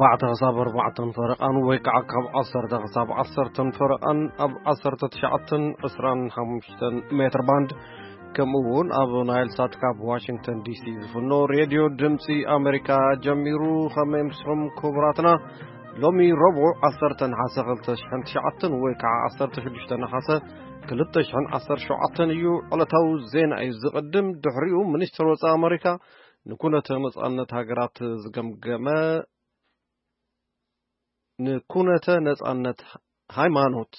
ኣርባዕተ ክሳብ ኣርባዕተን ፈረቓን ወይ ከዓ ካብ ዓሰርተ ክሳብ ዓሰርተን ፈረቓን ኣብ ዓሰርተ ትሽዓተን ዕስራን ሓሙሽተን ሜትር ባንድ፣ ከምኡ እውን ኣብ ናይል ሳት ካብ ዋሽንግተን ዲሲ ዝፍኖ ሬድዮ ድምፂ ኣሜሪካ ጀሚሩ። ከመይ ምስኹም ክቡራትና? ሎሚ ረቡዕ ዓሰርተ ነሓሰ ክልተ ሽሕን ትሽዓተን ወይ ከዓ ዓሰርተ ሽዱሽተ ነሓሰ ክልተ ሽሕን ዓሰርተ ሸውዓተን እዩ። ዕለታዊ ዜና እዩ ዝቕድም። ድሕሪኡ ሚኒስትር ወፃኢ ኣሜሪካ ንኩነተ ነፃነት ሃገራት ዝገምገመ ንኩነተ ነጻነት ሃይማኖት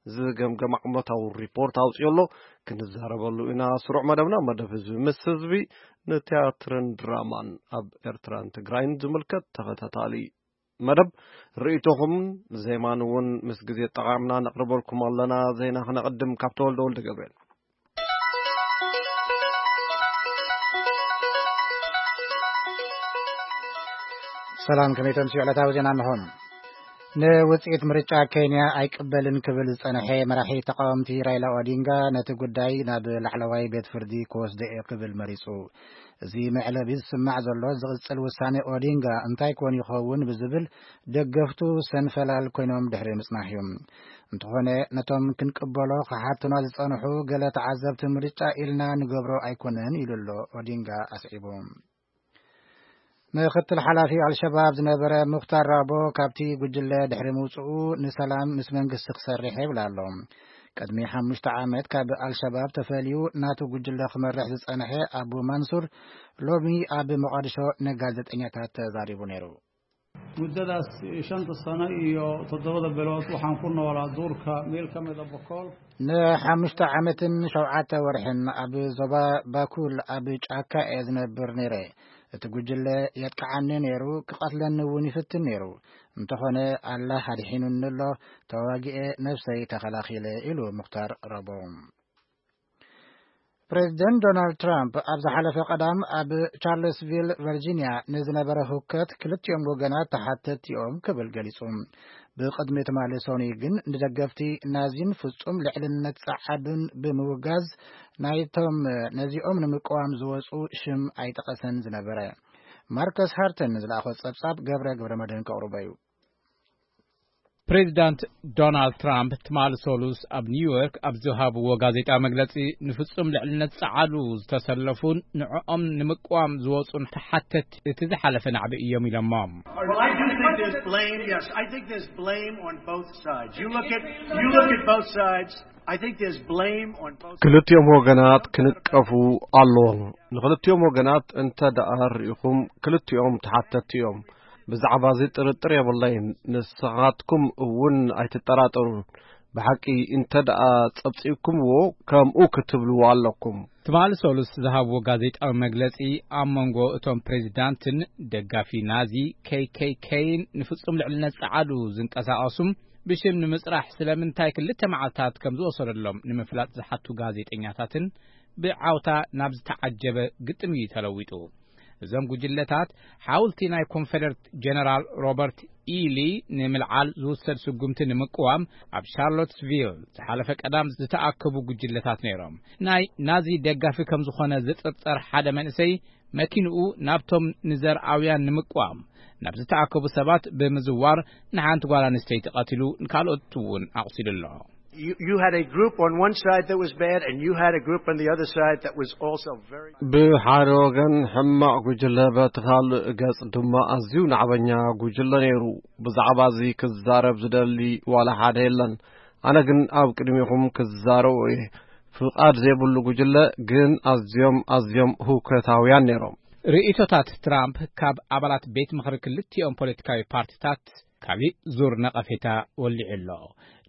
ዝገምገም ዓመታዊ ሪፖርት ኣውፅኦ ኣሎ። ክንዛረበሉ ኢና። ስሩዕ መደብና መደብ ህዝቢ ምስ ህዝቢ፣ ንቲያትርን ድራማን ኣብ ኤርትራን ትግራይን ዝምልከት ተኸታታሊ መደብ፣ ርእይቶኹም ዜማን እውን ምስ ግዜ ጠቓምና ነቕርበልኩም ኣለና። ዜና ክነቕድም ካብ ተወልደ ወልደ ገብርኤል። ሰላም፣ ከመይ ተምስዩ? ዕለታዊ ዜና እንሆ። ንውፅኢት ምርጫ ኬንያ ኣይቅበልን ክብል ዝፀንሐ መራሒ ተቃወምቲ ራይላ ኦዲንጋ ነቲ ጉዳይ ናብ ላዕለዋይ ቤት ፍርዲ ክወስዶ እየ ክብል መሪፁ። እዚ መዕለቢ ዝስማዕ ዘሎ ዝቕፅል ውሳኔ ኦዲንጋ እንታይ ኮን ይኸውን ብዝብል ደገፍቱ ሰንፈላል ኮይኖም ድሕሪ ምፅናሕ እዩ። እንተኾነ ነቶም ክንቅበሎ ክሓቱና ዝፀንሑ ገለ ተዓዘብቲ ምርጫ ኢልና ንገብሮ ኣይኮነን ኢሉ ኣሎ ኦዲንጋ ኣስዒቡ። ምክትል ሓላፊ ኣልሸባብ ዝነበረ ሙክታር ራቦ ካብቲ ጉጅለ ድሕሪ ምውፅኡ ንሰላም ምስ መንግስቲ ክሰርሕ ይብል ኣሎ። ቅድሚ ሓሙሽተ ዓመት ካብ ኣልሸባብ ተፈልዩ ናቱ ጉጅለ ክመርሕ ዝፀንሐ ኣቡ ማንሱር ሎሚ ኣብ መቓድሾ ንጋዜጠኛታት ተዛሪቡ ነይሩ። Muddadaas shanta sano iyo toddobada bilood waxaan ku noolaa duurka meel ka mid a Bokool. ንሓሙሽተ ዓመትን ሸውዓተ ወርሕን ኣብ ዞባ ባኩል ኣብ ጫካ እየ ዝነብር ነይረ። እቲ ጉጅለ የጥቅዓኒ ነይሩ፣ ክቐትለኒ እውን ይፍትን ነይሩ። እንተኾነ ኣላህ ኣድሒኑኒ ኣሎ፣ ተዋጊኤ ነብሰይ ተኸላኺለ ኢሉ ሙክታር ረቦ። ፕሬዚደንት ዶናልድ ትራምፕ ኣብ ዝሓለፈ ቀዳም ኣብ ቻርለስቪል ቨርጂኒያ ንዝነበረ ሁከት ክልቲኦም ወገናት ተሓተትቲ እዮም ክብል ገሊጹ። ብቕድሚ ትማሊ ሰኑይ ግን ንደገፍቲ ናዚን ፍጹም ልዕልነት ጸዓዱን ብምውጋዝ ናይቶም ነዚኦም ንምቅዋም ዝወጹ ሽም ኣይጠቐሰን ዝነበረ። ማርከስ ሃርተን ዝለኣኾ ጸብጻብ ገብረ ገብረ መድህን ከቕርቦ እዩ። ፕሬዚዳንት ዶናልድ ትራምፕ ትማሊ ሰሉስ ኣብ ኒውዮርክ ኣብ ዝሃብዎ ጋዜጣ መግለጺ ንፍጹም ልዕልነት ጸዓዱ ዝተሰለፉን ንዕኦም ንምቅዋም ዝወጹን ተሓተት እቲ ዝሓለፈ ናዕቢ እዮም ኢሎሞም። Well, I do think there's blame. Yes, I think there's blame on both sides. You look at you look at both sides. I think there's blame on both. ክልቲኦም ወገናት ክንቀፉ ኣለዎም። ንክልቲኦም ወገናት እንተ ደኣ ርኢኹም ክልቲኦም ተሓተትቲ እዮም። ብዛዕባ እዚ ጥርጥር የብለይን። ንስኻትኩም እውን ኣይትጠራጠሩ። ብሓቂ እንተ ደኣ ጸብጺብኩምዎ ከምኡ ክትብልዎ ኣለኩም። ትማሊ ሰሉስ ዝሃብዎ ጋዜጣዊ መግለጺ ኣብ መንጎ እቶም ፕሬዚዳንትን ደጋፊ ናዚ ኬይ ኬይ ኬይን ንፍጹም ልዕልነት ጸዓዱ ዝንቀሳቐሱም ብሽም ንምጽራሕ ስለምንታይ ክልተ መዓልታት ከም ዝወሰደሎም ንምፍላጥ ዝሓቱ ጋዜጠኛታትን ብዓውታ ናብ ዝተዓጀበ ግጥም እዩ ተለዊጡ። እዞም ጉጅለታት ሓውልቲ ናይ ኮንፈደረት ጀነራል ሮበርት ኢሊ ንምልዓል ዝውሰድ ስጉምቲ ንምቅዋም ኣብ ሻርሎትስቪል ዝሓለፈ ቀዳም ዝተኣከቡ ጉጅለታት ነይሮም። ናይ ናዚ ደጋፊ ከም ዝኾነ ዝጥርጠር ሓደ መንእሰይ መኪንኡ ናብቶም ንዘርኣውያን ንምቅዋም ናብ ዝተኣከቡ ሰባት ብምዝዋር ንሓንቲ ጓል ኣንስተይቲ ቀቲሉ ንካልኦት እውን ኣቑሲሉ ኣሎ። You, you had a group on one side that was bad, and you had a group on the other side that was also very. ብሓደ ወገን ሕማቕ ጉጅለ፣ በቲ ካልእ ገጽ ድማ ኣዝዩ ናዕበኛ ጉጅለ ነይሩ። ብዛዕባ እዚ ክዛረብ ዝደሊ ዋላ ሓደ የለን። ኣነ ግን ኣብ ቅድሚኹም ክዛረቦ እየ። ፍቓድ ዘይብሉ ጉጅለ ግን ኣዝዮም ኣዝዮም ህውከታውያን ነይሮም። ርእይቶታት ትራምፕ ካብ ኣባላት ቤት ምኽሪ ክልቲኦም ፖለቲካዊ ፓርቲታት ካሊእ ዙር ነቐፌታ ወሊዑ ኣሎ።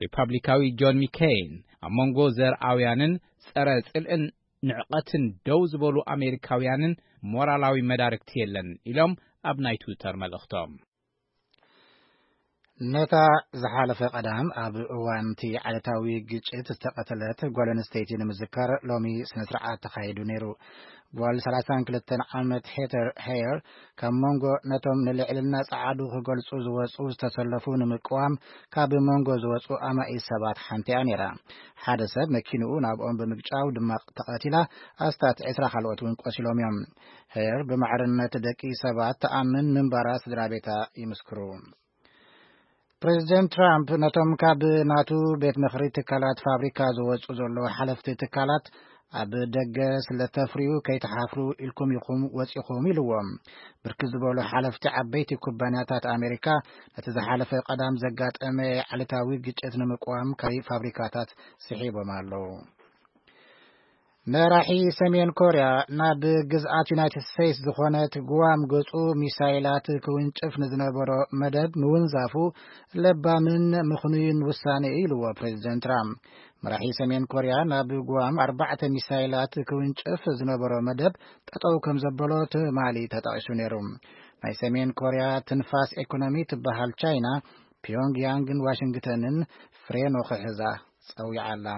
ሪፓብሊካዊ ጆን ሚኬይን ኣብ መንጎ ዘርኣውያንን ጸረ ጽልእን ንዕቐትን ደው ዝበሉ ኣሜሪካውያንን ሞራላዊ መዳርግቲ የለን ኢሎም ኣብ ናይ ትዊተር መልእኽቶም። ነታ ዝሓለፈ ቀዳም ኣብ እዋን እቲ ዓለታዊ ግጭት ዝተቐተለት ጓል ኣንስተይቲ ንምዝካር ሎሚ ስነ ስርዓት ተኻይዱ ነይሩ። ጓል ሠላሳን ክልተን ዓመት ሄተር ሄየር ካብ መንጎ ነቶም ንልዕልና ጸዓዱ ክገልጹ ዝወጹ ዝተሰለፉ ንምቅዋም ካብ መንጎ ዝወጹ ኣማኢት ሰባት ሓንቲ እያ ነይራ። ሓደ ሰብ መኪንኡ ናብኦም ብምግጫው ድማ ተቐቲላ፣ ኣስታት ዕስራ ካልኦት እውን ቆሲሎም እዮም። ሄየር ብማዕርነት ደቂ ሰባት ተኣምን ምንባራ ስድራ ቤታ ይምስክሩ። ፕሬዚደንት ትራምፕ ነቶም ካብ ናቱ ቤት ምኽሪ ትካላት ፋብሪካ ዝወጹ ዘለዉ ሓለፍቲ ትካላት ኣብ ደገ ስለ ተፍርዩ ከይተሓፍሩ ኢልኩም ኢኹም ወጺኹም ኢልዎም። ብርክት ዝበሉ ሓለፍቲ ዓበይቲ ኩባንያታት ኣሜሪካ ነቲ ዝሓለፈ ቀዳም ዘጋጠመ ዓሌታዊ ግጭት ንምቅዋም ከይ ፋብሪካታት ስሒቦም ኣለዉ። መራሒ ሰሜን ኮርያ ናብ ግዝኣት ዩናይትድ ስቴትስ ዝኾነት ጉዋም ገጹ ሚሳይላት ክውንጭፍ ንዝነበሮ መደብ ምውንዛፉ ለባምን ምኽኑይን ውሳኔ እዩ ኢልዎ ፕሬዚደንት ትራምፕ። መራሒ ሰሜን ኮርያ ናብ ጉዋም ኣርባዕተ ሚሳይላት ክውንጭፍ ዝነበሮ መደብ ጠጠው ከም ዘበሎ ትማሊ ተጠቒሱ ነይሩ። ናይ ሰሜን ኮርያ ትንፋስ ኤኮኖሚ ትበሃል ቻይና ፒዮንግያንግን ዋሽንግተንን ፍሬኖ ክሕዛ ጸዊዓ ኣላ።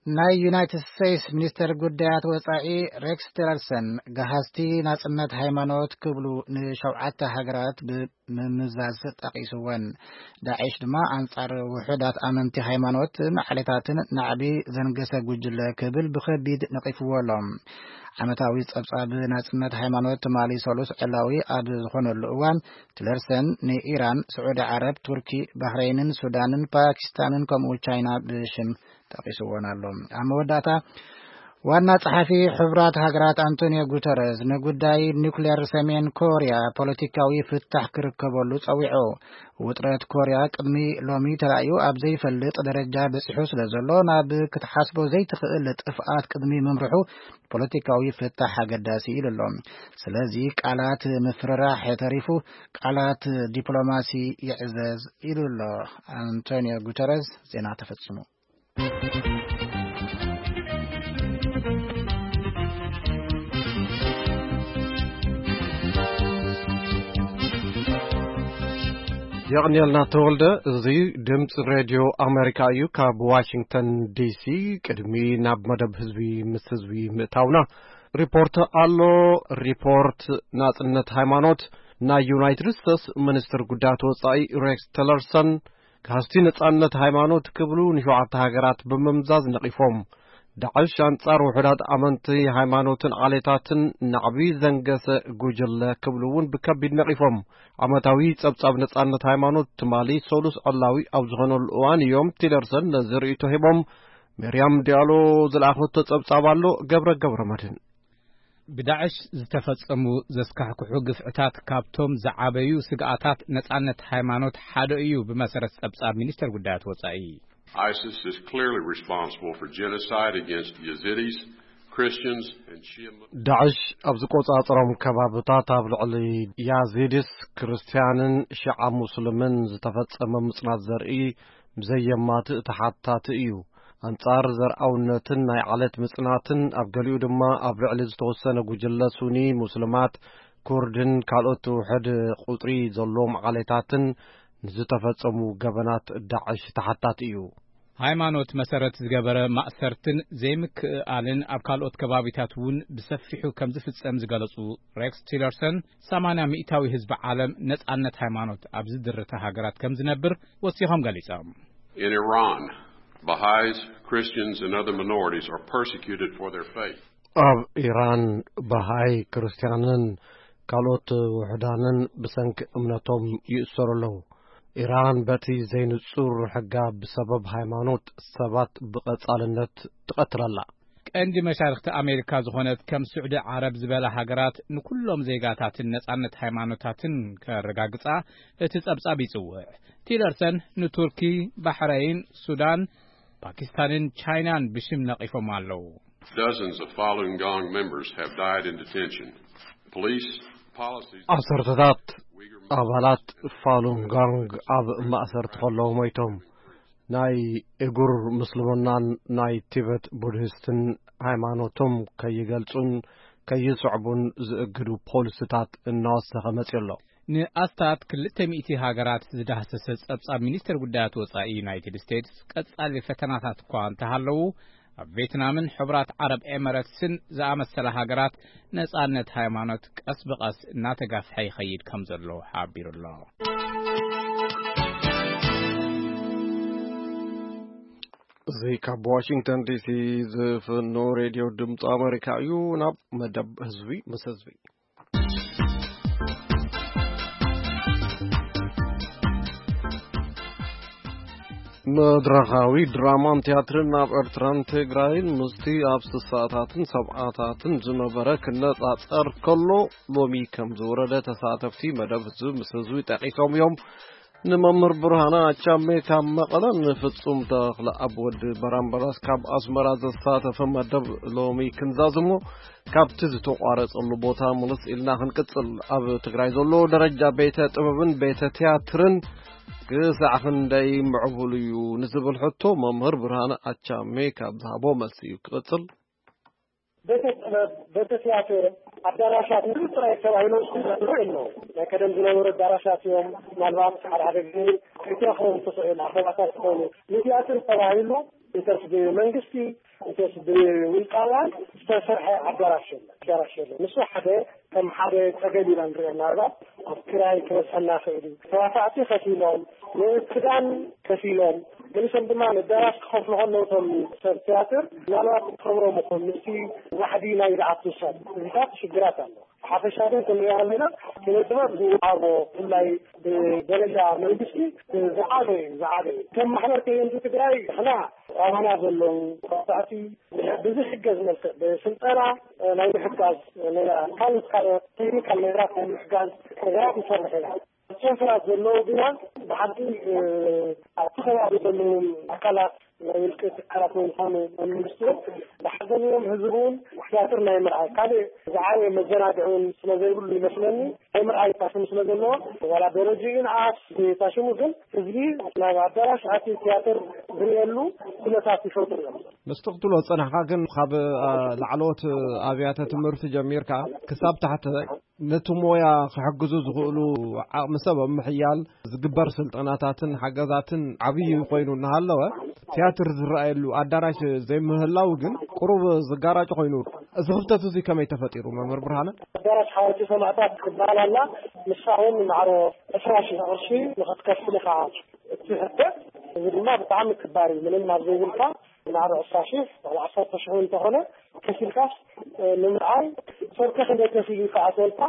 ናይ ዩናይትድ ስቴትስ ሚኒስተር ጉዳያት ወጻኢ ሬክስ ቲለርሰን፣ ገሃዝቲ ናጽነት ሃይማኖት ክብሉ ንሸውዓተ ሃገራት ብምምዛዝ ጠቒስወን። ዳዒሽ ድማ ኣንጻር ውሑዳት ኣመንቲ ሃይማኖትን ዓሌታትን ናዕቢ ዘንገሰ ጉጅለ ክብል ብኸቢድ ነቒፍዎ ኣሎ። ዓመታዊ ጸብጻብ ናጽነት ሃይማኖት ትማሊ ሰሉስ ዕላዊ ኣብ ዝኾነሉ እዋን፣ ቲለርሰን ንኢራን፣ ስዑዲ ዓረብ፣ ቱርኪ፣ ባህረይንን ሱዳንን ፓኪስታንን ከምኡ ቻይና ብሽም ጠቒስዎን ኣሎ። ኣብ መወዳእታ፣ ዋና ጸሓፊ ሕቡራት ሃገራት ኣንቶኒዮ ጉተረዝ ንጉዳይ ኒውክሌር ሰሜን ኮርያ ፖለቲካዊ ፍታሕ ክርከበሉ ጸዊዑ። ውጥረት ኮርያ ቅድሚ ሎሚ ተራእዩ ኣብ ዘይፈልጥ ደረጃ በጺሑ ስለ ዘሎ፣ ናብ ክትሓስቦ ዘይትኽእል ጥፍኣት ቅድሚ ምምርሑ ፖለቲካዊ ፍታሕ ኣገዳሲ ኢሉ ኣሎ። ስለዚ ቃላት ምፍርራሕ ተሪፉ ቃላት ዲፕሎማሲ ይዕዘዝ ኢሉ ኣሎ ኣንቶኒዮ ጉተረዝ። ዜና ተፈጺሙ። የቕንየልና ተወልደ። እዚ ድምፂ ሬድዮ ኣሜሪካ እዩ። ካብ ዋሽንግተን ዲሲ ቅድሚ ናብ መደብ ህዝቢ ምስ ህዝቢ ምእታውና፣ ሪፖርት ኣሎ። ሪፖርት ናጽነት ሃይማኖት። ናይ ዩናይትድ ስቴትስ ሚኒስትር ጉዳያት ወጻኢ ሬክስ ቲለርሰን፣ ካህስቲ ነጻነት ሃይማኖት ክብሉ ንሸውዓተ ሃገራት ብምምዛዝ ነቒፎም። ዳዕሽ ኣንጻር ውሑዳት ኣመንቲ ሃይማኖትን ዓሌታትን ናዕቢ ዘንገሰ ጉጅለ ክብሉ እውን ብከቢድ ነቒፎም። ዓመታዊ ጸብጻብ ነጻነት ሃይማኖት ትማሊ ሰሉስ ዕላዊ ኣብ ዝኾነሉ እዋን እዮም ቲለርሰን ነዚ ርእይቶ ሂቦም። ሜርያም ዲያሎ ዝለኣኸቶ ጸብጻብ ኣሎ፣ ገብረ ገብረ መድህን። ብዳዕሽ ዝተፈጸሙ ዘስካሕክሑ ግፍዕታት ካብቶም ዝዓበዩ ስግኣታት ነጻነት ሃይማኖት ሓደ እዩ፣ ብመሰረት ጸብጻብ ሚኒስተር ጉዳያት ወጻኢ። ISIS is clearly responsible for genocide against Yazidis, Christians, and Shia Muslims. ዳዕሽ ኣብ ዝቆጻጸሮም ከባብታት ኣብ ልዕሊ ያዚድስ፣ ክርስትያንን ሺዓ ሙስልምን ዝተፈጸመ ምጽናት ዘርኢ ብዘየማትእ ተሓታቲ እዩ። ኣንጻር ዘርኣውነትን ናይ ዓለት ምጽናትን፣ ኣብ ገሊኡ ድማ ኣብ ልዕሊ ዝተወሰነ ጉጅለ ሱኒ፣ ሙስልማት፣ ኩርድን ካልኦት ውሑድ ቁጽሪ ዘለዎም ዓሌታትን ንዝተፈጸሙ ገበናት ዳዕሽ ተሓታቲ እዩ። ሃይማኖት መሰረት ዝገበረ ማእሰርትን ዘይምክእኣልን ኣብ ካልኦት ከባቢታት እውን ብሰፊሑ ከም ዝፍጸም ዝገለጹ ሬክስ ቲለርሰን፣ ሰማንያ ሚእታዊ ህዝቢ ዓለም ነጻነት ሃይማኖት ኣብ ዝድርተ ሃገራት ከም ዝነብር ወሲኾም ገሊጾም። In Iran, Baha'is, Christians, and other minorities are persecuted for their faith. ኣብ ኢራን፣ ባሃይ፣ ክርስትያንን ካልኦት ውሑዳንን ብሰንኪ እምነቶም ይእሰሩ ኣለዉ። ኢራን በቲ ዘይንጹር ሕጋ ብሰበብ ሃይማኖት ሰባት ብቐጻልነት ትቐትል ኣላ። ቀንዲ መሻርኽቲ ኣሜሪካ ዝኾነት ከም ስዑዲ ዓረብ ዝበላ ሃገራት ንኩሎም ዜጋታትን ነጻነት ሃይማኖታትን ከረጋግጻ እቲ ጸብጻብ ይጽውዕ። ቲለርሰን ንቱርኪ፣ ባሕረይን፣ ሱዳን፣ ፓኪስታንን ቻይናን ብሽም ነቒፎም ኣለዉ። Dozens of Falun Gong members have died in detention. Police policies ዓሰርተታት ኣባላት ፋሉን ጋንግ ኣብ ማእሰርቲ ከለዉ ሞይቶም። ናይ እጉር ምስልምናን ናይ ቲበት ቡድሂስትን ሃይማኖቶም ከይገልጹን ከይስዕቡን ዝእግዱ ፖሊስታት እናወሰኸ መጺኡ ኣሎ። ንኣስታት ክልተ ሚእቲ ሃገራት ዝዳህሰሰ ጸብጻብ ሚኒስተር ጉዳያት ወጻኢ ዩናይትድ ስቴትስ፣ ቀጻሊ ፈተናታት እኳ እንተሃለዉ፣ ኣብ ቬትናምን ሕቡራት ዓረብ ኤመረትስን ዝኣመሰላ ሃገራት ነጻነት ሃይማኖት ቀስ ብቐስ እናተጋፍሐ ይኸይድ ከም ዘሎ ሓቢሩ ኣሎ። እዚ ካብ ዋሽንግተን ዲሲ ዝፍኖ ሬድዮ ድምፂ ኣሜሪካ እዩ። ናብ መደብ ህዝቢ ምስ ህዝቢ። መድረኻዊ ድራማን ቲያትርን ኣብ ኤርትራን ትግራይን ምስቲ ኣብ ስሳታትን ሰብዓታትን ዝነበረ ክነጻጸር ከሎ፣ ሎሚ ከም ዝወረደ ተሳተፍቲ መደብ ህዝቢ ምስ ህዝቢ ጠቒሶም እዮም። ንመምህር ብርሃነ ኣቻሜ ካብ መቐለ፣ ንፍጹም ተኽለኣብ ወዲ በራምበራስ ካብ ኣስመራ ዘሳተፈ መደብ ሎሚ ክንዛዝሞ፣ ካብቲ ዝተቋረጸሉ ቦታ ምልስ ኢልና ክንቅጽል። ኣብ ትግራይ ዘሎ ደረጃ ቤተ ጥበብን ቤተ ቲያትርን ክሳዕ ክንደይ ምዕቡል እዩ ንዝብል ሕቶ፣ መምህር ብርሃነ ኣቻሜ ካብ ዝሃቦ መልሲ እዩ ክቕጽል። ቤተ ጥበብ፣ ቤተ ቲያትር፣ ኣዳራሻት ንሱ ጥራይ ተባሂሎም ዝኽፈሉ የለዉ። ናይ ቀደም ዝነበሩ ኣዳራሻት እዮም። ምናልባት ሓደ ሓደ ግዜ ክትረኽቦም ትኽእል ኣኼባታት ዝኾኑ ንቲያትር ተባሂሉ እንተስ ብመንግስቲ እንተስ ብውልቃውያን ዝተሰርሐ ኣዳራሽ የለን፣ ኣዳራሽ የለን። ንሱ ሓደ ከም ሓደ ጸገም ኢና ንሪኦ። ምናልባት ኣብ ክራይ ክበዝሐና ይኽእል እዩ። ተዋሳእቲ ከፊሎም፣ ንክዳን ከፊሎም፣ ገሊሶም ድማ ንኣዳራሽ ክኸፍሉ ከለዉ እቶም ሰብ ቲያትር ምናልባት ክኸብሮም ይኹን ምስቲ ዋሕዲ ናይ ዝኣቱ ሰብ፣ እዚታት ሽግራት ኣሎ። ብሓፈሻ ግን ክንሪኦ ከለና ስነ ጥበብ ዝወሃቦ ብፍላይ ብደረጃ መንግስቲ ዝዓበ እዩ፣ ዝዓበ እዩ። ከም ማሕበር ከየንቲ ትግራይ ንሕና ኣባና ዘለዉ ተዋሳእቲ ብዝሕገዝ መልክዕ ብስልጠና ናይ ምሕጋዝ፣ ካልኦት ካልኦት ቴክኒካል ነገራት ናይ ምሕጋዝ ነገራት ንሰርሕ ኢና። ጨንፈራት ዘለዉ ግና ብሓቂ ኣብቲ ከባቢ ዘለዉ ኣካላት ናይ ውልቂ ትካላት ወይ ዝኾኑ ናይ መንግስቲ እውን ብሓገዝዎም ህዝቢ እውን ቲያትር ናይ ምርኣይ ካልእ ዝዓበየ መዘናግዒ እውን ስለ ዘይብሉ ይመስለኒ ናይ ምርኣይ ፋሽን ስለ ዘለዎ ዋላ ደረጃ ይንኣስ ፋሽኑ ግን ህዝቢ ናብ ኣዳራሽ ኣትዩ ቲያትር ዝርእየሉ ኩነታት ይፈጥሩ እዮም። ምስቲ ክትብሎ ዝጸናሕካ ግን ካብ ላዕለዎት ኣብያተ ትምህርቲ ጀሚርካ ክሳብ ታሕቲ ነቲ ሞያ ክሕግዙ ዝኽእሉ ዓቕሚ ሰብ ኣብ ምሕያል ዝግበር ስልጠናታትን ሓገዛትን ዓብዪ ኮይኑ እናሃለወ ቲያትር ዝረኣየሉ ኣዳራሽ ዘይምህላው ግን ቁሩብ ዝጋራጭ ኮይኑ። እዚ ክፍተት እዚ ከመይ ተፈጢሩ መምህር ብርሃነ? ኣዳራሽ ሓወልቲ ሰማእታት ክትበሃል ኣላ። ንሳ እውን ማዕሮ ዕስራ ሺሕ ቅርሺ ንኽትከፍል ኢኻ እትሕተት። እዚ ድማ ብጣዕሚ ክባር እዩ። ምንም ኣብ ዘይብልካ ማዕሮ ዕስራ ሺሕ ዋላ ዓሰርተ ሺሕ እውን እንተኾነ ከፊልካስ ንምርኣይ ሰብከ ክንደይ ከፊሉ ይከኣሰልካ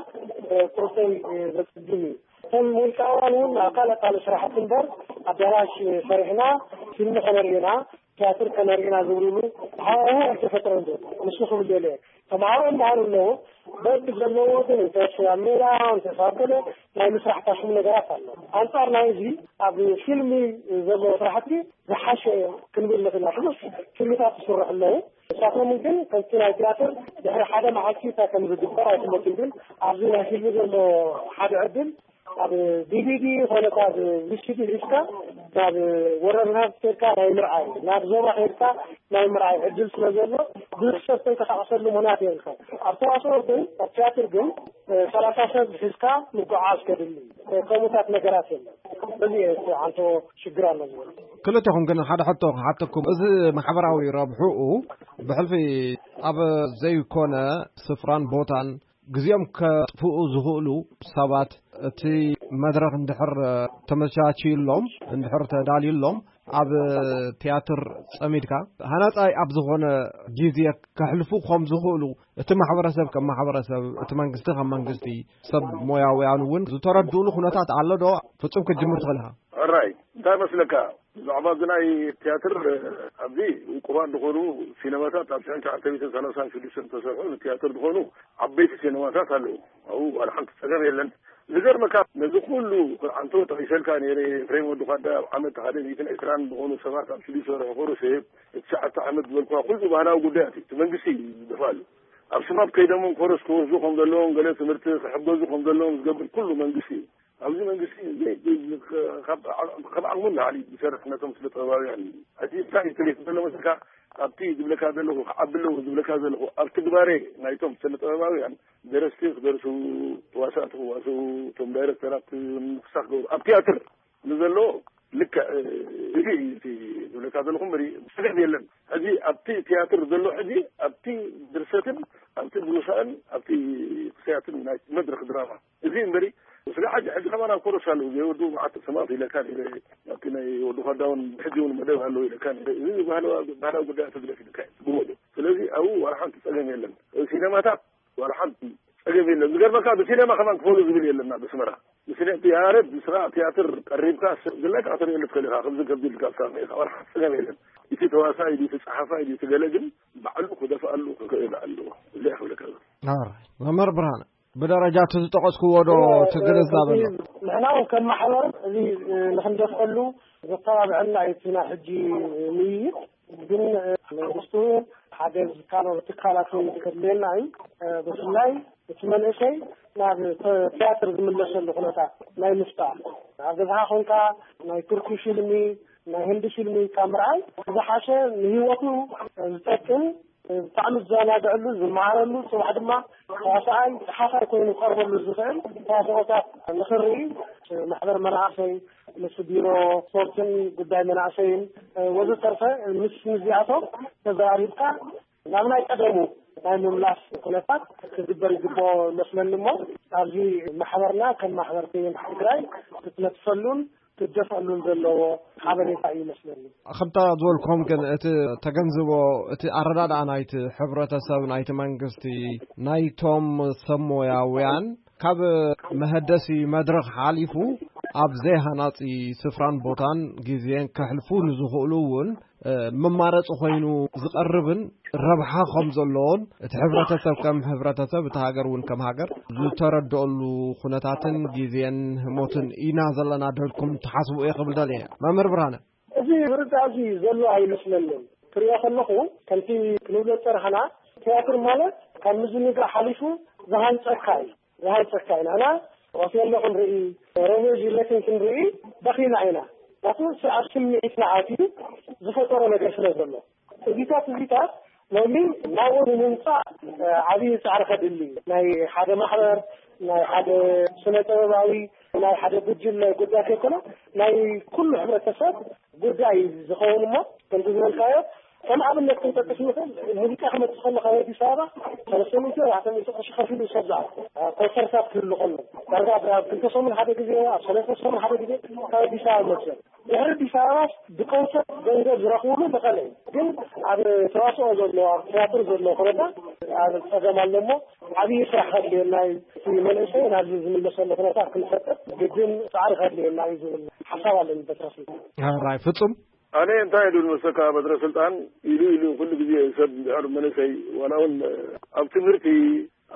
ቁርሰይ ዘፅግም እዩ። እቶም ውልቃውያን እውን ኣብ ካልእ ካልእ ስራሕቲ እምበር ኣዳራሽ ሰሪሕና ፊልም ከነርኢ ኢና ቲያትር ከነርኢ ኢና ዝብልሉ ሃዋሁ ኣይተፈጥረን ዘሎ። ንሱ ክብል ደልየ ተምሃሮ ይምሃሩ ኣለዉ። በቢ ዘለዎ ግን እንተስ ኣብ ሜዳ እንተስ ኣብ ገለ ናይ ምስራሕ ፋሽን ነገራት ኣሎ። ኣንጻር ናይ እዚ ኣብ ፊልሚ ዘሎ ስራሕቲ ዝሓሸ ክንብል ንኽእል ኢና። ብዙሕ ፊልምታት ይስርሑ ኣለዉ። ንሳቶም ግን ከምቲ ናይ ቲያትር ድሕሪ ሓደ መዓልቲ እንታይ ከም ዝግበር ኣይፍለጥን። ግን ኣብዚ ናይ ፊልሚ ዘሎ ሓደ ዕድል ኣብ ዲቪዲ ኮነ ካብ ቪሲዲ ሒዝካ ናብ ወረዳታት ከድካ ናይ ምርኣይ፣ ናብ ዞባ ከድካ ናይ ምርኣይ ዕድል ስለ ዘሎ ብዙሕ ሰብ ተንቀሳቐሰሉ ምኽንያት የብልካ። ኣብ ተዋስኦ ግን ኣብ ቲያትር ግን ሰላሳ ሰብ ሒዝካ ምጉዓዝ ከድሊ ከምኡታት ነገራት የለን። እዚ እዩ እቲ ዓንቶ ሽግር ኣሎ ዝብል። ክልተኹም ግን ሓደ ሕቶ ክሓተኩም። እዚ ማሕበራዊ ረብሕኡ ብሕልፊ ኣብ ዘይኮነ ስፍራን ቦታን ግዜኦም ከጥፍኡ ዝኽእሉ ሰባት እቲ መድረኽ እንድሕር ተመቻችዩሎም፣ እንድሕር ተዳልዩሎም፣ ኣብ ቲያትር ጸሚድካ ሃናጻይ ኣብ ዝኾነ ግዜ ከሕልፉ ከም ዝኽእሉ እቲ ማሕበረሰብ ከም ማሕበረሰብ፣ እቲ መንግስቲ ከም መንግስቲ፣ ሰብ ሞያውያን እውን ዝተረድኡሉ ኩነታት ኣሎ ዶ? ፍጹም ክትጅምር ትኽእል ኢኻ። ሕራይ፣ እንታይ መስለካ? ብዛዕባ እዚ ናይ ቲያትር ኣብዚ ውቁባት ዝኾኑ ሲነማታት ኣብ ሽሕን ትሽዓተ ሚእትን ሰላሳን ሽዱሽተን ዝተሰርሑ ንቲያትር ዝኾኑ ዓበይቲ ሲነማታት ኣለዉ። ኣብኡ ዋላ ሓንቲ ጸገም የለን። ዝገርመካ ነዚ ኩሉ ኣንቶ ጠቒሰልካ ነይረ፣ ኤፍሬም ወዲ ኳዳ ኣብ ዓመት ሓደ ሚእትን ዕስራን ዝኾኑ ሰባት ኣብ ስቱድዮ ይሰርሑ፣ ኮረሴ፣ ትሽዓተ ዓመት ዝበልኩዋ ኩሉ ባህላዊ ጉዳያት እዩ። እቲ መንግስቲ እዩ ዝደፋሉ። ኣብ ሽባብ ከይዶም ኮረስ ክወስዱ ከም ዘለዎም፣ ገለ ትምህርቲ ክሕገዙ ከም ዘለዎም ዝገብር ኩሉ መንግስቲ እዩ። ኣብዚ መንግስቲ ዘይ-፣ ካብ፣ ካብ ዓቕሙ ንላዕሊ ዝሰርሕ ነቶም ስነ ጥበባውያን እዩ። ሕጂ እንታይ እዩ ትሪኢ ዘሎ መስልካ? ኣብቲ ዝብለካ ዘለኹ፣ ክዓቢ ኣለዎ ዝብለካ ዘለኹ፣ ኣብ ትግባሬ ናይቶም ስነ ጥበባውያን ደረስቲ ክደርሱ፣ ተዋሳእቲ ክዋስኡ፣ እቶም ዳይረክተራት ምንቅስቃስ ክገብሩ፣ ኣብ ቲያትር ንዘሎ ልክዕ፣ እዚ እዩ እቲ ዝብለካ ዘለኹ እምበሪ፣ ስግዕት የለን። ሕጂ ኣብቲ ቲያትር ትር ዘሎ ሕጂ ኣብቲ ድርሰትን ኣብቲ ድርሳን ኣብቲ ክስያትን ናይ መድረክ ድራማ እዚ እምበሪ ስለ ሓጂ ሕጂ ከማን ኣብ ኮረስ ኣለዉ ዘይወዱ መዓት ሰማት ኢለካ ኢለ ኣብቲ ናይ ወዱ ኳዳውን ሕጂ እውን መደብ ኣለዉ ኢለካ ኢለ እዚ ባህላዊ ጉዳይ ተግደፍ ኢልካ እዩ ብመሉ ስለዚ ኣብኡ ዋላ ሓንቲ ጸገም የለን። ሲነማታት ዋላ ሓንቲ ጸገም የለን። ዝገርመካ ብሲነማ ከማን ክፈሉ ዝብል የለና ብስመራ ብስነ ያረድ ስራ ቲያትር ቀሪብካ ዝለካ ክትርኢ ትኽእል ኢኻ። ከምዚ ከምዚ ኢልካ ፍታሕ ኢኻ ዋላ ሓንቲ ጸገም የለን። እቲ ተዋሳይ ድዩ እቲ ጸሓፋይ ድዩ እቲ ገለ ግን ባዕሉ ክደፍኣሉ ክኽእል ኣለዎ። እዚኣ ክብለካ እየ። ኣረ መምህር ብርሃነ ብደረጃ እቲ ዝጠቐስክዎ ዶ ትግንዛበ ኣሎ? ንሕና እውን ከም ማሕበር እዚ ንክንደፍአሉ ዘተባብዐና እዩ እቲ ናይ ሕጂ ምይይጥ። ግን መንግስቲ እውን ሓገዝ ካልኦት ትካላት እውን ከድልየና እዩ። ብፍላይ እቲ መንእሰይ ናብ ተ- ቲያትር ዝምለሰሉ ኩነታት ናይ ምፍጣር ኣብ ገዛኻ ኮንካ ናይ ቱርኪ ፊልሚ ናይ ህንዲ ፊልሚ ካብ ምርኣይ ዝሓሸ ንህይወቱ ዝጠቅም ብጣዕሚ ዝዘናግዐሉ ዝመሃረሉ ጽባሕ ድማ ተዋሳኣይ ጸሓፋይ ኮይኑ ክቐርበሉ ዝኽእል ተዋስኦታት ንኽርኢ ማሕበር መናእሰይ ምስ ቢሮ ስፖርትን ጉዳይ መናእሰይን ወዘተርፈ ምስ ምስዚኣቶም ተዘራሪብካ ናብ ናይ ቀደሙ ናይ ምምላስ ኩነታት ክግበር ይግብኦ ይመስለኒ እሞ ኣብዚ ማሕበርና ከም ማሕበር ቴሌን ትግራይ ክትነጥፈሉን ክደፈሉን ዘለዎ ሓበሬታ እዩ ይመስለኒ። ከምታ ዝበልኩም ግን እቲ ተገንዝቦ እቲ ኣረዳድኣ ናይቲ ሕብረተሰብ ናይቲ መንግስቲ ናይቶም ሰብ ሞያውያን ካብ መሀደሲ መድረኽ ሓሊፉ ኣብ ዘይሃናጺ ስፍራን ቦታን ግዜን ከሕልፉ ንዝኽእሉ እውን መማረፂ ኮይኑ ዝቐርብን ረብሓ ከም ዘለዎን እቲ ሕብረተሰብ ከም ሕብረተሰብ እቲ ሃገር እውን ከም ሃገር ዝተረድኦሉ ኩነታትን ግዜን ህሞትን ኢና ዘለና ደልኩም ትሓስቡ እየ ክብል ደልየ መምህር ብርሃነ። እዚ ዝርዳእ እዚ ዘሎ ኣይመስለንን። ክሪኦ ከለኹ ከምቲ ክንብሎ ዝፀናሕና ትያትር ማለት ካብ ምዝንጋዕ ሓሊፉ ዝሃንፀካ እዩ። ዝሃንፀካ ኢና እና ኦቴሎ ክንርኢ ሮሜዮ ጁልየትን ክንርኢ በኺና ኢና። ናቱ ኣብ ስምዒትና ኣትዩ ዝፈጠሮ ነገር ስለ ዘሎ እዚታት እዚታት ሎሚ ናብኡ ንምምፃእ ዓብዪ ፃዕሪ ከድሊ እዩ። ናይ ሓደ ማሕበር ናይ ሓደ ስነ ጥበባዊ ናይ ሓደ ጉጅለ ጉዳይ ከይኮነ ናይ ኩሉ ሕብረተሰብ ጉዳይ እዩ ዝኸውን እሞ ከምቲ ዝበልካዮ ከም ኣብነት ክንጠቅስ ንኽእል ሙዚቃ ክመፅእ ከሎ ካብ ኣዲስ ኣበባ ሰለስተ ሚእቲ ኣርባዕተ ሚእቲ ቅርሺ ከፊሉ ሰብ ዝኣቱ ኮንሰርታት ክህሉ ከሎ ዳርጋ ኣብ ክልተ ሰሙን ሓደ ግዜ ኣብ ሰለስተ ሰሙን ሓደ ግዜ ካብ ኣዲስ ኣበባ ይመፅእ። ድሕሪ ኣዲስ ኣበባስ ብኮንሰርት ገንዘብ ዝረኽብሉ መቐለ እዩ። ግን ኣብ ተዋስኦ ዘሎ ኣብ ትያትር ዘሎ ኩነታት ኣብ ፀገም ኣሎ እሞ ዓብዪ ስራሕ ከድልየና እዩ። እቲ መንእሰይ ናብዚ ዝምለሰሉ ኩነታት ክንፈጥር ግድን ፃዕሪ ከድልየና እዩ ዝብል ሓሳብ ኣለኒ። በትረ ስልጣን። ራይ ፍፁም ኣነ እንታይ ኢሉ ንወሰካ በትረ ስልጣን ኢሉ ኢሉ ኩሉ ግዜ ሰብ እንድሕር መንእሰይ ዋላ እውን ኣብ ትምህርቲ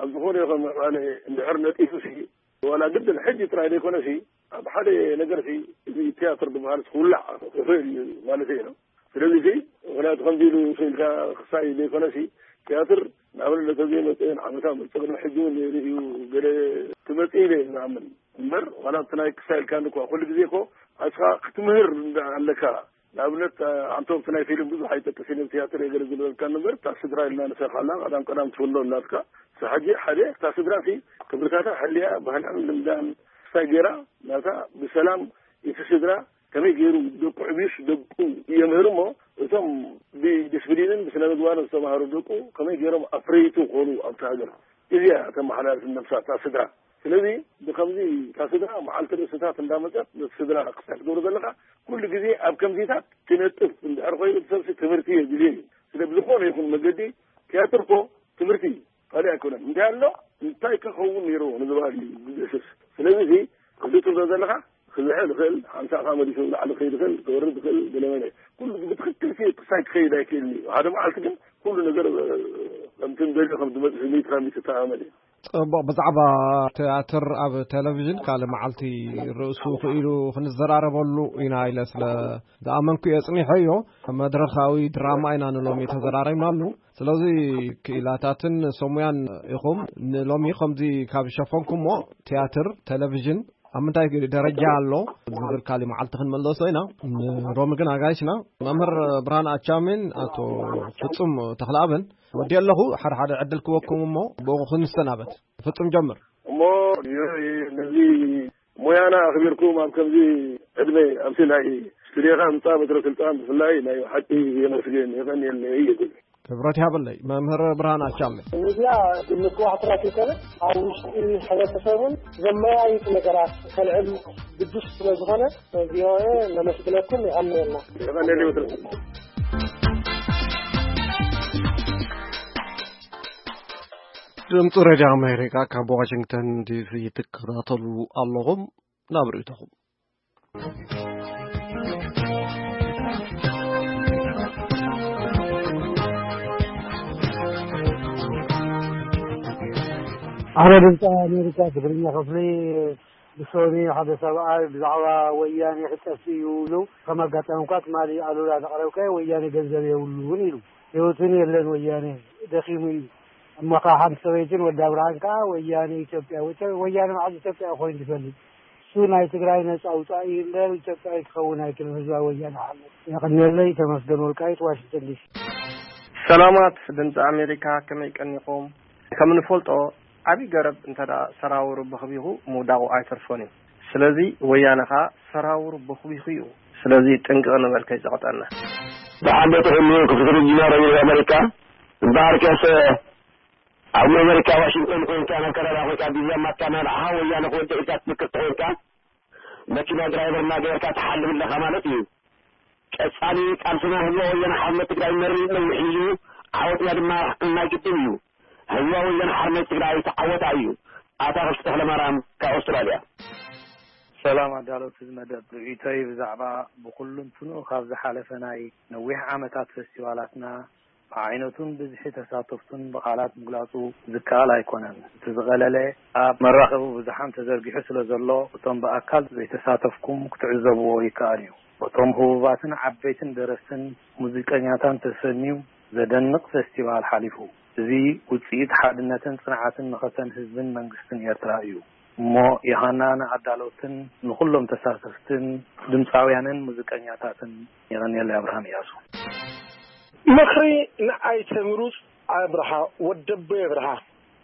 ኣብ ዝኾነ ይኹን ምዕባለ እንድሕር ነጢፉ ሲ ዋላ ግድን ሕጂ ጥራይ ዘይኮነ ሲ ኣብ ሓደ ነገር ሲ እዚ ትያትር ዝበሃል ክውላዕ ይኽእል እዩ ማለት እዩ። ስለዚ ሲ ምክንያቱ ከምዚ ኢሉ ኢልካ ክሳይ ዘይኮነ ሲ ትያትር ንኣብነት ተዘይመፀ ንዓመታ መፀ ቅድሚ ሕጂ እውን ነይሩ እዩ። ገለ ክመፅእ ኢለ ዝኣምን እምበር ዋላ እቲ ናይ ክሳይ ኢልካ እኳ ኩሉ ግዜ እኮ ኣስኻ ክትምህር ኣለካ። ንኣብነት ኣንቶም እቲ ናይ ፊልም ብዙሕ ኣይጠቅስ ኢለ ትያትር እየ ገለ ዝብለልካ እምበር እታ ስድራ ኢልና ንሰርሓላ ቀዳም ቀዳም ትፍኖ እናትካ ሕጂ ሓደ እታ ስድራ ሲ ክብርታታ ሕልያ ባህላን ልምዳን ክሳይ ገይራ ናታ ብሰላም እቲ ስድራ ከመይ ገይሩ ደቁ ዕብዩስ ደቁ የምህር እሞ እቶም ብዲስፕሊንን ብስነ ምግባርን ዝተማሃሩ ደቁ ከመይ ገይሮም ኣፍረይቲ ክኾኑ ኣብቲ ሃገር እዚኣ ተመሓላልፍ ነብሳ እታ ስድራ። ስለዚ ብከምዚ እታ ስድራ መዓልቲ ርእስታት እንዳመፀት ነቲ ስድራ ክሳይ ትገብሮ ዘለካ ኩሉ ግዜ ኣብ ከምዚታት ትነጥፍ እንድሕር ኮይኑ እቲ ሰብሲ ትምህርቲ የድልዮ እዩ። ስለ ብዝኾነ ይኹን መገዲ ትያትር እኮ ትምህርቲ እዩ። ካልእ ኣይኮነን። እንታይ ኣሎ እንታይ ከኸውን ነይርዎ ንዝበሃል እዩ ዝድህስስ። ስለዚ እዚ ክልቱ ዶ ዘለኻ ክዝሕል ይኽእል፣ ሓምሳ ኻ መሊሱ ንላዕሊ ክኸይድ ይኽእል፣ ክወርድ ይኽእል፣ ገለ መለ። ኩሉ ብትኽክል ሲ ክሳይ ክኸይድ ኣይክእልን እዩ። ሓደ መዓልቲ ግን ኩሉ ነገር ከምቲ ንደልዮ ከም ዝመፅእ ሚእቲ ካብ ሚእቲ እተኣማመን እዩ። ፅቡቕ። ብዛዕባ ትያትር ኣብ ቴሌቪዥን ካልእ መዓልቲ ርእሱ ክኢሉ ክንዘራረበሉ ኢና ኢለ ስለ ዝኣመንኩ እየ ኣፅኒሐዮ። መድረኻዊ ድራማ ኢና ንሎሚ ተዘራሪብናሉ። ስለዚ ክኢላታትን ሰሙያን ኢኹም ንሎሚ ከምዚ ካብ ሸፈንኩሞ ትያትር፣ ቴሌቪዥን ኣብ ምንታይ ደረጃ ኣሎ ዝብል ካልእ መዓልቲ ክንመለሶ ኢና። ንሎሚ ግን ኣጋይሽና መምህር ብርሃን ኣቻሜን ኣቶ ፍጹም ተኽለኣብን ወዲ ኣለኹ። ሓደ ሓደ ዕድል ክወኩም እሞ ብኡ ክንሰናበት። ፍጹም ጀምር። እሞ ነዚ ሞያና ኣኽቢርኩም ኣብ ከምዚ ዕድመ ኣብቲ ናይ ስቱዲዮኻ ምጻእ በትረ ስልጣን ብፍላይ ናይ ሓቂ የመስግን የቐንየለይ ይብል። ክብረት ይሃበለይ መምህር ብርሃን ኣቻለ። ሚድያ ንምክዋሕ ጥራሕ ይኮነ፣ ኣብ ውሽጢ ሕብረተሰብን ዘመያይጥ ነገራት ከልዕል ግዱስ ስለ ዝኾነ፣ ቪኦኤ ነመስግነኩም፣ የቐንየልና። ድምፂ ሬድዮ ኣሜሪካ ካብ ዋሽንግተን ዲሲ ትከታተሉ ኣለኹም። ናብ ርእይቶኹም። ኣረ ድምፂ ኣሜሪካ ትግርኛ ክፍሊ ብሶኒ ሓደ ሰብኣይ ብዛዕባ ወያኔ ክጠፍእ እዩ ኢሉ፣ ከም ኣጋጣሚ እኳ ትማሊ ኣሉላ ዘቕረብካዮ ወያኔ ገንዘብ የብሉን ኢሉ። ህይወቱን የለን ወያኔ ደኺሙ እዩ። እሞ ከዓ ሓንቲ ሰበይትን ወዲ ኣብርሃን ከዓ ወያኔ ኢትዮጵያ፣ ወያኔ መዓዝ ኢትዮጵያ ኮይኑ ዝፈልጥ? እሱ ናይ ትግራይ ነፃ ኣውፃኢ እምበር ኢትዮጵያዊ ክኸውን ኣይክእልን። ህዝባዊ ወያነ ሓርነት። የቐንየለይ። ተመስገን ወልቃይት፣ ዋሽንግተን ዲሲ። ሰላማት ድምፂ ኣሜሪካ፣ ከመይ ቀኒኹም? ከም ንፈልጦ ዓብዪ ገረብ እንተ ደኣ ሰራውሩ በኽቢኹ ምውዳቑ ኣይተርፎን እዩ። ስለዚ ወያነ ኸኣ ሰራውሩ በኽቢኹ እዩ። ስለዚ ጥንቅቕ ንበል ከይጸቕጠና። ብሓደ ትሕሉ ክፍትሪ ጅማሮ እዩ ኣሜሪካ። እምበኣርከስ ኣብ ኣሜሪካ ዋሽንግተን ኮንካ፣ ናብ ካናዳ ኮንካ፣ ቪዛ ማትካ እናረኣኻ ወያነ ክወድእ ኢልካ ትፍክር ተኾንካ፣ መኪና ድራይቨር እናገበርካ ትሓልፍ ኣለኻ ማለት እዩ። ቀጻሊ ቃልስና ህዝባዊ ወያነ ሓርነት ትግራይ መሪር ነዊሕ እዩ። ዓወትና ድማ ናይ ግድን እዩ። ህዝባዊ ወያነ ሓርነት ትግራይ ተዓወታ እዩ። ኣታ ክፍቲ ተኽለማርያም ካብ ኣውስትራልያ። ሰላም ኣዳለውቲ እዚ መደብ፣ ርእይቶይ ብዛዕባ ብኹሉ እንትንኡ ካብ ዝሓለፈ ናይ ነዊሕ ዓመታት ፈስቲቫላትና ብዓይነቱን ብዝሒ ተሳተፍቱን ብቓላት ምግላጹ ዝከኣል ኣይኮነን። እቲ ዝቐለለ ኣብ መራኸቢ ብዙሓን ተዘርጊሑ ስለ ዘሎ፣ እቶም ብኣካል ዘይተሳተፍኩም ክትዕዘብዎ ይከኣል እዩ። በቶም ህቡባትን ዓበይትን ደረስትን ሙዚቀኛታን ተሰንዩ ዘደንቕ ፈስቲቫል ሓሊፉ። እዚ ውጽኢት ሓድነትን ጽንዓትን መኸተን ህዝብን መንግስትን ኤርትራ እዩ። እሞ የሃና ንኣዳለውትን ንኹሎም ተሳተፍትን ድምፃውያንን ሙዚቀኛታትን የቐንየለይ። ኣብርሃም እያሱ። ምኽሪ ንኣይተ ምሩፅ ኣብርሃ ወደቦ ኣብርሃ።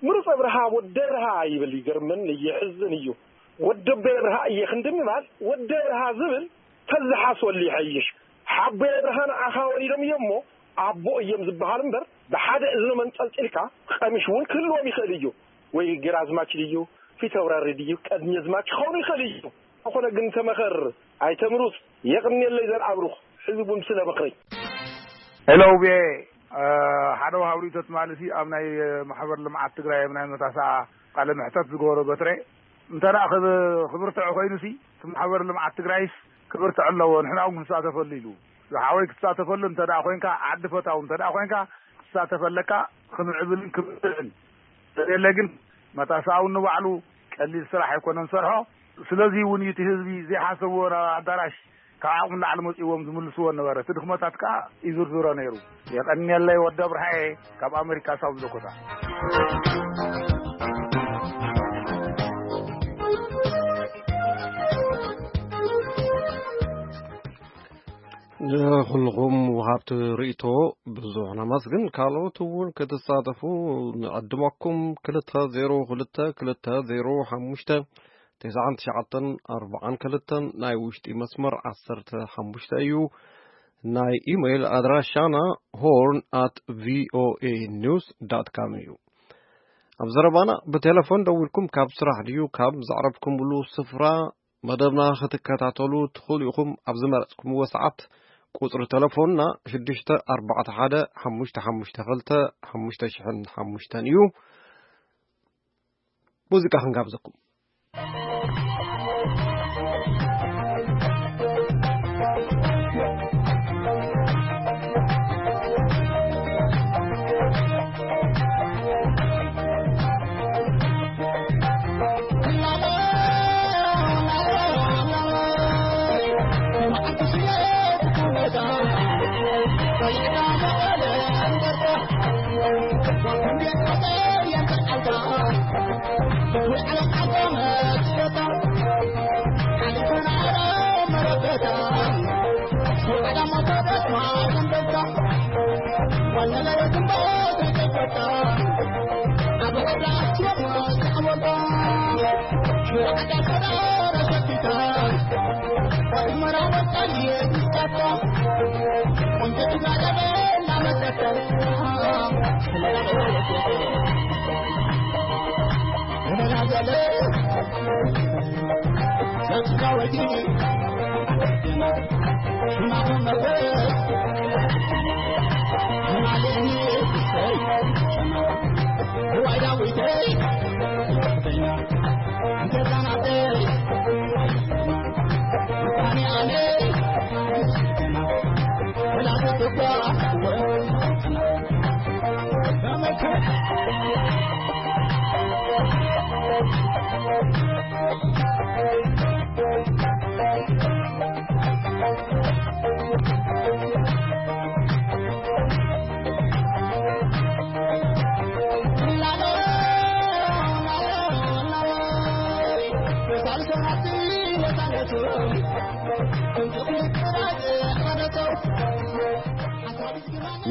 ምሩፅ ኣብርሃ ወደ ኣብርሃ ይብል፣ ይገርመን የሕዝን እዩ። ወደቦ ኣብርሃ እየ ክንዲ ምባል ወደ ኣብርሃ ዝብል ተዝሓስበሉ ይሐይሽ። ሓቦ ኣብርሃ ንዓኻ ወሊዶም እዮም እሞ ኣቦ እዮም ዝበሃል እምበር ብሓደ እዝኖም ኣንጠልጢልካ ቀሚሽ እውን ክህልዎም ይኽእል እዩ። ወይ ግራዝማች ድዩ ፊተውራሪ ድዩ ቀድሚዝማች ክኸውን ይኽእል እዩ። ዝኾነ ግን ተመኸር ኣይተምሩፅ። የቕንየለይ ዘርኣብሩኽ ህዝቡን ስለ ምኽሪ። ሄሎ ቪኦኤ፣ ሓደ ወሃብ ርእይቶ ትማሊ ሲ ኣብ ናይ ማሕበር ልምዓት ትግራይ ኣብ ናይ መታሰኣ ቃለ መሕተት ዝገበሮ በትረ እንተ ደኣ ክብ-፣ ክብርትዖ ኮይኑ ሲ እቲ ማሕበር ልምዓት ትግራይስ ክብርትዖ ኣለዎ፣ ንሕና እውን ክንሳተፈሉ ኢሉ። ዝሓወይ ክትሳተፈሉ እንተ ደኣ ኮይንካ፣ ዓዲ ፈታው እንተ ደኣ ኮይንካ ክትሳተፍ ኣለካ፣ ክንዕብልን ክብርትዕን። ዘየለ ግን መታሰኣ እውን ንባዕሉ ቀሊል ስራሕ ኣይኮነን ዝሰርሖ። ስለዚ እውን እዩ እቲ ህዝቢ ዘይሓሰብዎ ናብ ኣዳራሽ ካብ ዓቕሚ ንላዕሊ መጺእዎም ዝምልስዎ ነበረ። እቲ ድኽመታት ከኣ ይዝርዝሮ ነይሩ። የቐንየለይ ወዲ ኣብርሃየ ካብ ኣሜሪካ ሳውዝ ዳኮታ። ንኹልኹም ወሃብቲ ርእይቶ ብዙሕ ነመስግን። ካልኦት እውን ክትሳተፉ ንዕድመኩም። ክልተ ዜሮ ክልተ ክልተ ዜሮ ሓሙሽተ ተስዓን ትሽዓተን ኣርባዓን ክልተን ናይ ውሽጢ መስመር ዓሰርተ ሓሙሽተ እዩ። ናይ ኢሜይል ኣድራሻና ሆርን ኣት ቪኦኤ ኒውስ ዳት ካም እዩ። ኣብ ዘረባና ብቴሌፎን ደዊልኩም ካብ ስራሕ ድዩ ካብ ዘዕረፍኩምሉ ስፍራ መደብና ክትከታተሉ ትኽእሉ ኢኹም። ኣብ ዝመረጽኩምዎ ሰዓት ቁጽሪ ቴሌፎንና ሽዱሽተ ኣርባዕተ ሓደ ሓሙሽተ ሓሙሽተ ክልተ ሓሙሽተ ሽሕን ሓሙሽተን እዩ። ሙዚቃ ክንጋብዘኩም።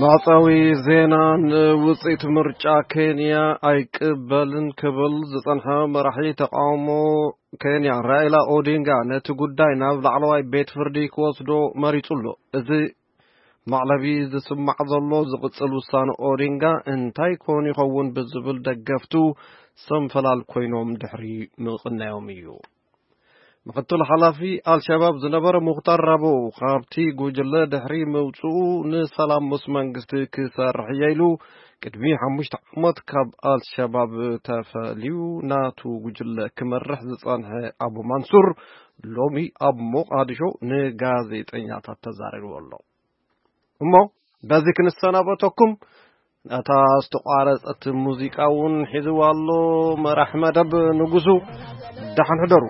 መዕጸዊ ዜና። ንውጽኢት ምርጫ ኬንያ ኣይቅበልን ክብል ዝጸንሐ መራሒ ተቃውሞ ኬንያ ራኢላ ኦዲንጋ ነቲ ጉዳይ ናብ ላዕለዋይ ቤት ፍርዲ ክወስዶ መሪጹ ኣሎ። እዚ መዕለቢ ዝስማዕ ዘሎ ዝቕጽል ውሳነ ኦዲንጋ እንታይ ኮን ይኸውን ብዝብል ደገፍቱ ሰንፈላል ኮይኖም ድሕሪ ምቕናዮም እዩ። ምክትል ሓላፊ ኣልሸባብ ዝነበረ ሙኽታር ራቦ ካብቲ ጉጅለ ድሕሪ ምውፅኡ ንሰላም ምስ መንግስቲ ክሰርሕ እየ ኢሉ ቅድሚ ሓሙሽተ ዓመት ካብ ኣልሸባብ ተፈልዩ ናቱ ጉጅለ ክመርሕ ዝጸንሐ ኣቡ ማንሱር ሎሚ ኣብ ሞቃዲሾ ንጋዜጠኛታት ተዛሪቡ ኣሎ። እሞ በዚ ክንሰናበተኩም ነታ ዝተቋረጸት ሙዚቃ እውን ሒዝዋ ኣሎ። መራሕ መደብ ንጉሱ፣ ደሓን ሕደሩ።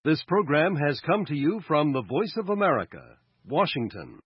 This program has come to you from the Voice of America, Washington.